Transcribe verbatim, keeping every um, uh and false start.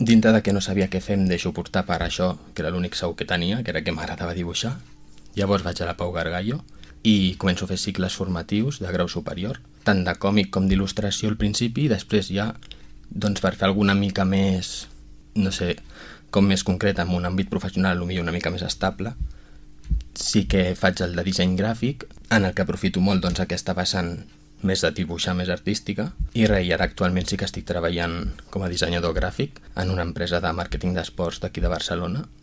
dintre de que no sabia què fer em deixo portar per això, que era l'únic segur que tenia, que era que m'agradava dibuixar. Llavors vaig a la Pau Gargallo i començo a fer cicles formatius de grau superior, tant de còmic com d'il·lustració al principi, i després ja, doncs per fer alguna mica més, no sé, com més concret, en un àmbit professional, potser una mica més estable, sí que faig el de disseny gràfic, en el que aprofito molt doncs, aquesta vessant més de dibuixar, més artística, i res, i ara actualment sí que estic treballant com a dissenyador gràfic en una empresa de màrqueting d'esports d'aquí de Barcelona,